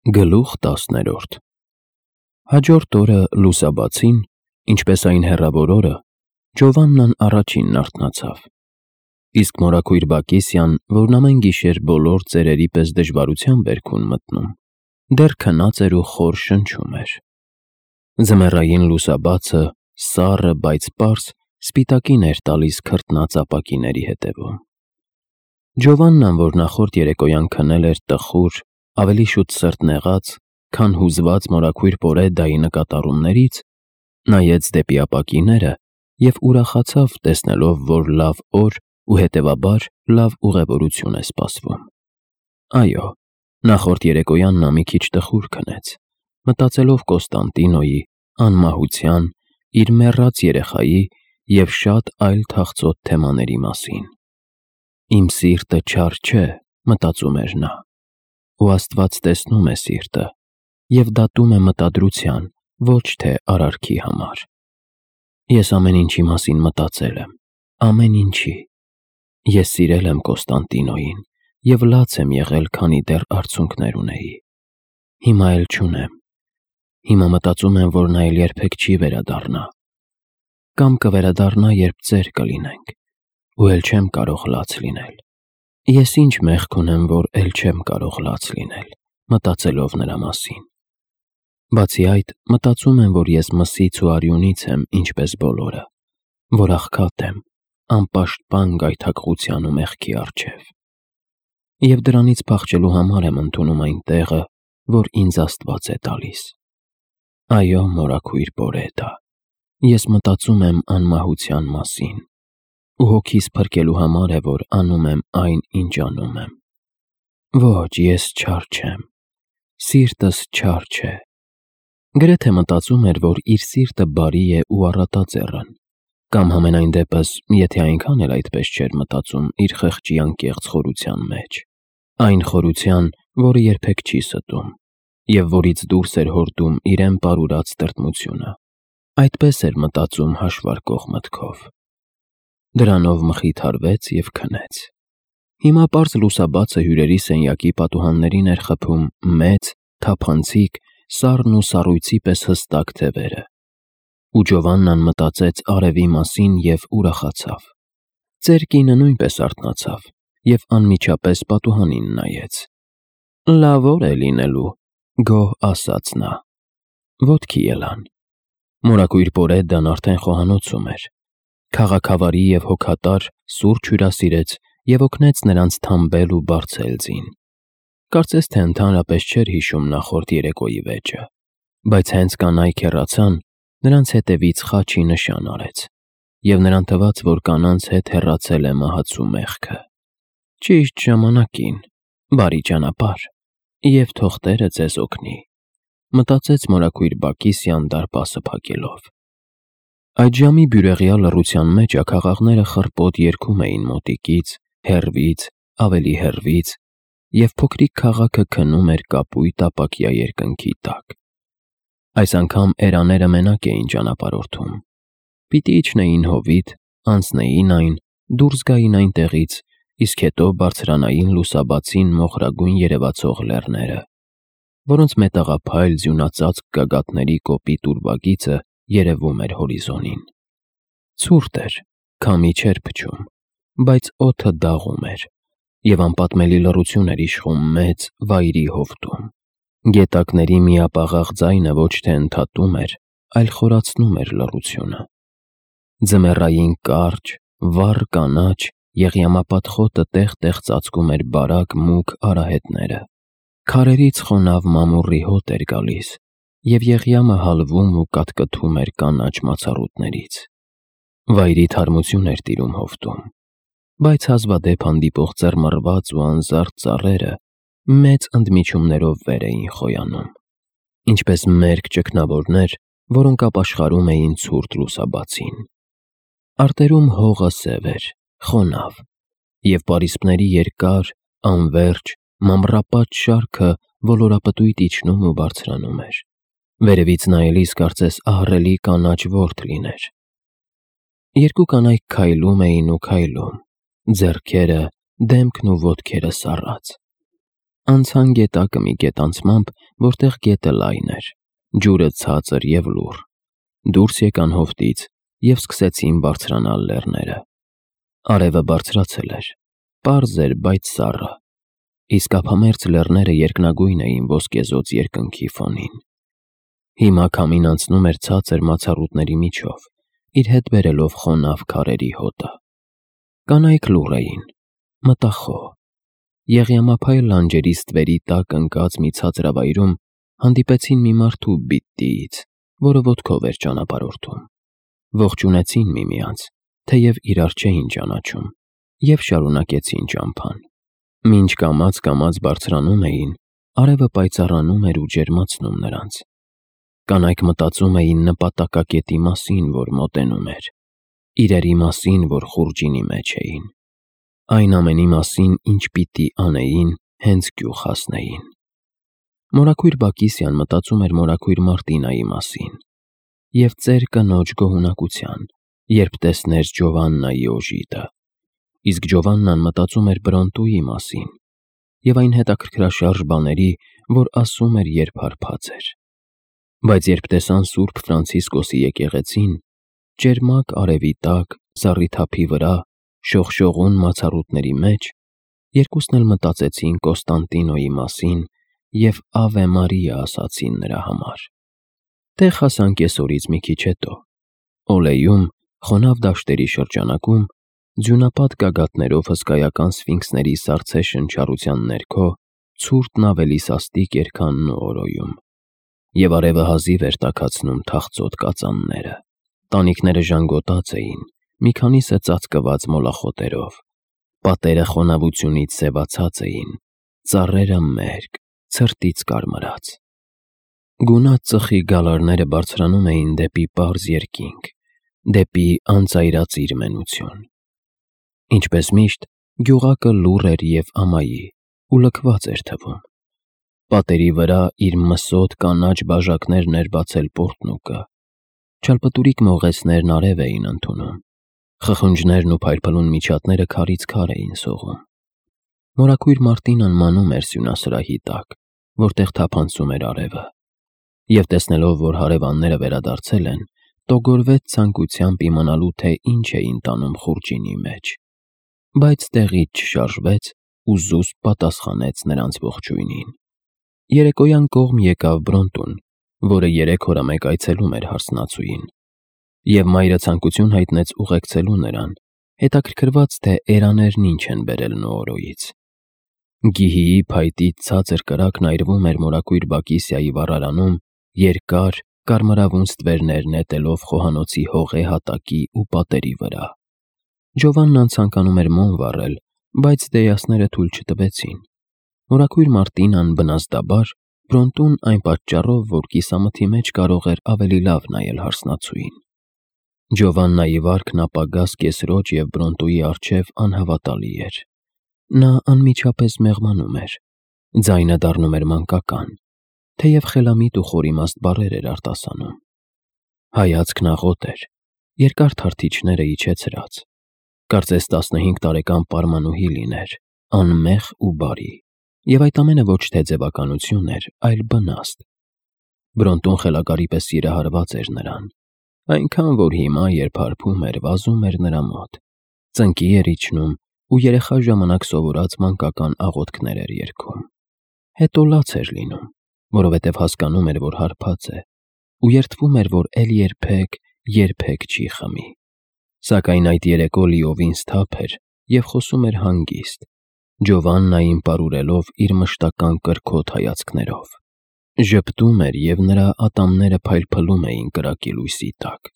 Գլուխ 10-րդ Հաջորդ օրը լուսաբացին, ինչպես այն հեռավոր օրը, Ջովաննան առաջինն արթնացավ, իսկ մորաքույր Բակիսյան, որն ամեն գիշեր բոլոր ծերերի պես դժվարությամբ էր քուն մտնում, դեռ քնած էր ու խոր շնչում էր։ Ձմեռային լուսաբացը, սառը, բայց պարզ, սպիտակին էր տալիս քրտնած ապակիների հետևում։ Ջովաննան, որ նախորդ երեկոյան քնել էր տխուր, ավելի շուտ սրտնեղած, քան հուզված մորաքույր Պորեդայի նկատառումներից, նայեց դեպի ապակիները և ուրախացավ, տեսնելով, որ լավ օր ու հետևաբար լավ ուղևորություն է սպասվում։ Այո, նախորդ երեկոյան նա մի քիչ տխուր քնեց, մտածելով Կոստանդինոյի, անմահության, իր մեռած երեխայի և շատ այլ թախծոտ թեմաների մասին։ Իմ սիրտը չար չէ, մտածում էր նա, ու Աստված տեսնում է սիրտը և դատում է մտադրության, ոչ թե արարքի համար։ Ես ամեն ինչի մասին մտածել եմ, ամեն ինչի։ Ես սիրել եմ Կոստանդինոյին և լաց եմ եղել, քանի դեռ արցունքներ ունեի։ Հիմա էլ չունեմ։ Հիմա մտածում եմ, որ նա էլ երբեք չի վերադառնա։ Կամ կվերադառնա, երբ ծեր կլինենք, ու էլ չեմ կարող լաց լինել։ Ես ինչ մեղք ունեմ, որ էլ չեմ կարող լաց լինել, մտածելով նրա մասին։ Բացի այդ, մտածում եմ, որ ես մսից ու արյունից եմ, ինչպես բոլորը, որ աղքատ եմ, անպաշտպան գայթակղության ու մեղքի առջև։ Եվ դրանից փախչելու համար եմ ընդունում այն տեղը, որ ինձ Աստված է տալիս։ Այո, մորաքույր Պորեդա, ես մտածում եմ անմահության մասին, ու հոգիս փրկելու համար է, որ անում եմ այն, ինչ անում եմ։ Ոչ, ես չար չեմ, սիրտս չար չէ։ Գրեթե մտածում էր, որ իր սիրտը բարի է ու առատաձեռն, կամ համենայն դեպս, եթե այնքան էլ այդպես չէր մտածում իր խղճի անկեղծ խորության մեջ, այն խորության, որը երբեք չի ստում, և որից դուրս էր հորդում իրեն պարուրած տրտմությունը։ Այդպես էր մտածում հաշվարկող մտքով։ Դրանով մխիթարվեց և քնեց։ Հիմա պարզ լուսաբացը հյուրերի սենյակի պատուհաններին էր խփում մեծ, թափանցիկ, սառն ու սառույցի պես հստակ թևերը, ու Ջովաննան մտածեց արևի մասին և ուրախացավ։ Ծեր կինը նույնպես արթնացավ և անմիջապես պատուհանին նայեց։ Լավ օր է լինելու, գոհ ասաց նա։ Ոտքի ելան։ Մորաքույր Պորեդան արդեն խոհանոցում էր։ Քաղաքավարի և հոգատար սուրճ հյուրասիրեց և օգնեց նրանց թամբել ու բարձել ձին։ Կարծես թե ընդհանրապես չէր հիշում նախորդ երեկոյի վեճը, բայց հենց կանայք հեռացան, նրանց հետևից խաչի նշան արեց, և նրան թվաց, որ կանանց հետ հեռացել է մահացու մեղքը։ Ճիշտ ժամանակին, բարի ճանապարհ, և թող Տերը ձեզ օգնի, մտածեց մորաքույր Բակիսյան դարպասը փակելով։ Այդ ժամի բյուրեղյա լռության մեջ աքաղաղները խռպոտ երգում էին մոտիկից, հեռվից, ավելի հեռվից, և փոքրիկ քաղաքը քնում էր կապույտ ապակյա երկնքի տակ։ Այս անգամ էրաները մենակ էին ճանապարհորդում։ Պիտի իջնեին հովիտ, անցնեին այն, դուրս գային այնտեղից, իսկ հետո բարձրանային լուսաբացին մոխրագույն երևացող լեռները, որոնց մետաղափայլ ձյունածածկ գագաթների կոպիտ ուրվագիծը երևում էր հորիզոնին։ Ցուրտ էր, քամի չէր փչում, բայց օդը դաղում էր, և անպատմելի լռություն էր իշխում մեծ վայրի հովտում։ Գետակների միապաղաղ ձայնը ոչ թե ընդհատում էր, այլ խորացնում էր լռությունը։ Ձմեռային կարճ, վառ կանաչ, եղյամապատ տեղ-տեղ ծածկում էր բարակ մուգ արահետները։ Քարերից խոնավ մամուռի հոտ էր գալիս, և եղյամը հալվում ու կատկթում էր կանաչ մացառուտներից։ Վայրի թարմություն էր տիրում հովտում, բայց հազվադեպ հանդիպող ծռմռված ու անզարդ ծառերը մեծ ընդմիջումներով վեր էին խոյանում, ինչպես մերկ ճգնավորներ, որոնք ապաշխարում էին ցուրտ լուսաբացին։ Արտերում հողը սև էր, խոնավ, և պարիսպների երկար, անվերջ, մամռապատ շարքը ոլորապտույտ իջնում ու բարձրանում էր։ Վերևից նայելիս կարծես ահռելի կանաչ որդ լիներ։ Երկու կանայք քայլում էին ու քայլում, ձեռքերը, դեմքն ու ոտքերը սառած։ Անցան գետակը մի գետանցմամբ, որտեղ գետը լայն էր, ջուրը ցածր և լուռ։ Դուրս եկան հովտից և սկսեցին բարձրանալ լեռները։ Արևը բարձրացել էր, պարզ էր, բայց սառը, իսկ ափամերձ լեռները երկնագույն էին ոսկեզօծ երկնքի ֆոնին։ Հիմա քամին անցնում էր ցածր մացառուտների միջով, իր հետ բերելով խոնավ քարերի հոտը։ Կանայք լուռ էին, մտախոհ։ Եղյամափայլ լանջերի ստվերի տակ ընկած մի ցածրավայրում հանդիպեցին մի մարդու բիթտիից, որը ոտքով էր ճանապարհորդում։ Ողջունեցին միմյանց, թեև իրար չէին ճանաչում, և շարունակեցին ճամփան։ Մինչ կամաց-կամաց բարձրանում էին, արևը պայծառանում էր ու ջերմացնում նրանց։ Կանայք մտածում էին նպատակակետի մասին, որ մոտենում էր, իրերի մասին, որ խուրջինի մեջ էին, այն ամենի մասին, ինչ պիտի անեին, հենց գյուղ հասնեին։ Մորաքույր Բակիսյան մտածում էր մորաքույր Մարտինայի մասին և ծեր կնոջ գոհունակության, երբ տեսներ Ջովաննայի օժիտը, իսկ Ջովաննան մտածում էր Բրոնտուի մասին և այն հետաքրքրաշարժ բաների, որ ասում էր, երբ հարբած էր։ Բայց երբ տեսան Սուրբ Ֆրանցիսկոսի եկեղեցին, ճերմակ արևի տակ, զառիթափի վրա, շողշողուն մացառուտների մեջ, երկուսն էլ մտածեցին Կոստանդինոյի մասին և Ավե Մարիա ասացին նրա համար։ Տեղ հասան կեսօրից մի քիչ հետո։ Օլեյում, խոնավ դաշտերի շրջանակում, ձյունապատ գագաթներով հսկայական սֆինքսների սառցե շնչառության ներքո, ցուրտն ավելի սաստիկ էր, քան նուորոյում, և արևը հազիվ էր տաքացնում թախծոտ կածանները։ Տանիքները ժանգոտած էին, մի քանիսը ծածկված մոլախոտերով, պատերը խոնավությունից սևացած էին, ծառերը մերկ, ցրտից կարմրած։ Գունատ ծխի գալարները բարձրանում էին դեպի պարզ երկինք, դեպի անծայրածիր մենություն։ Ինչպես միշտ, գյուղակը լուռ էր և ամայի ու լքված էր թվում։ Պատերի վրա իր մսոտ կանաչ բաժակներն էր բացել պորտնուկը, չալպտուրիկ մողեսներն արև էին ընդունում, խխունջներն ու փայլփլուն միջատները քարից քար էին սողում։ Մորաքույր Մարտինան մանում էր սյունասրահի տակ, որտեղ թափանցում էր արևը, և տեսնելով, որ հարևանները վերադարձել են, տոգորվեց ցանկությամբ իմանալու, թե ինչ էին տանում խուրջինի մեջ, բայց տեղից չշարժվեց ու զուսպ պատասխանեց նրանց ողջույնին։ Երեկոյան կողմ եկավ Բրոնտուն, որը 3 օր մեկ այցելում էր հարսնացուին, և մայրը ցանկություն հայտնեց ուղեկցելու նրան, հետաքրքրված, թե էրաներն ինչ են բերել Նուորոյից։ Գիհիի փայտից ցածր կրակն այրվում էր մորաքույր Բակիսյայի վառարանում, երկար, կարմրավուն ստվերներ նետելով խոհանոցի հողե հատակի ու պատերի վրա։ Ջովաննան ցանկանում էր մոմ վառել, բայց դեյասները թույլ չտվեցին։ Մորաքույր Մարտինան բնազդաբար, Բրոնտուն այն պատճառով, որ կիսամթի մեջ կարող էր ավելի լավ նայել հարսնացուին։ Ջովաննայի վարքն ապագա սկեսրոջ և Բրոնտուի առջև անհավատալի էր։ Նա անմիջապես մեղմանում էր, ձայնը դառնում էր մանկական, թեև խելամիտ ու խորիմաստ բառեր էր արտասանում։ Հայացքն աղոտ էր, երկար թարթիչները իջեցրած, կարծես 15 տարեկան պարմանուհի լիներ, անմեղ ու բարի, և այդ ամենը ոչ թե ձևականություն էր, այլ բնաստ։ Բրոնտուն խելագարի պես սիրահարված էր նրան, այնքան, որ հիմա, երբ հարբում էր, վազում էր նրա մոտ, ծնկի էր իջնում ու երեխա ժամանակ սովորած մանկական աղոթքներ էր երգում։ Հետո լաց էր լինում, որովհետև հասկանում էր, որ հարբած է, ու երդվում էր, որ էլ երբեք չի խմի։ Սակայն այդ երեկո լիովին սթափ էր և խոսում էր հանգիստ, Ջովաննային պարուրելով իր մշտական կրքոտ հայացքներով։ Ժպտում էր, և նրա ատամները փայլփլում էին կրակի լույսի տակ։